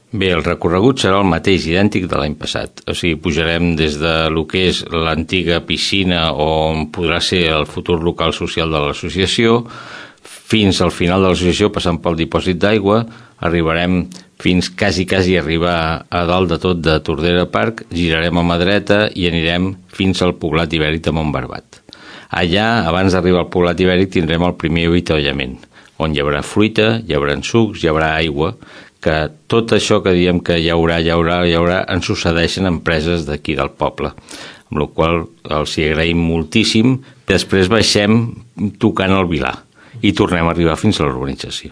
Bé, el recorregut serà el mateix, idèntic de l'any passat. O sigui, pujarem des de lo que és l'antiga piscina on podrà ser el futur local social de l'associació, fins al final de l'associació, passant pel dipòsit d'aigua, arribarem fins quasi arribar a dalt de tot de Tordera Park, girarem a mà dreta i anirem fins al poblat ibèric de Montbarbat. Allà, abans d'arribar al poblat ibèric, tindrem el primer avituallament, on hi haurà fruita, hi haurà sucs, hi haurà aigua, que tot això que diem que hi haurà, ens succeeixen empreses d'aquí del poble, amb la qual els hi agraïm moltíssim. Després baixem tocant el Vilar i tornem a arribar fins a la urbanització.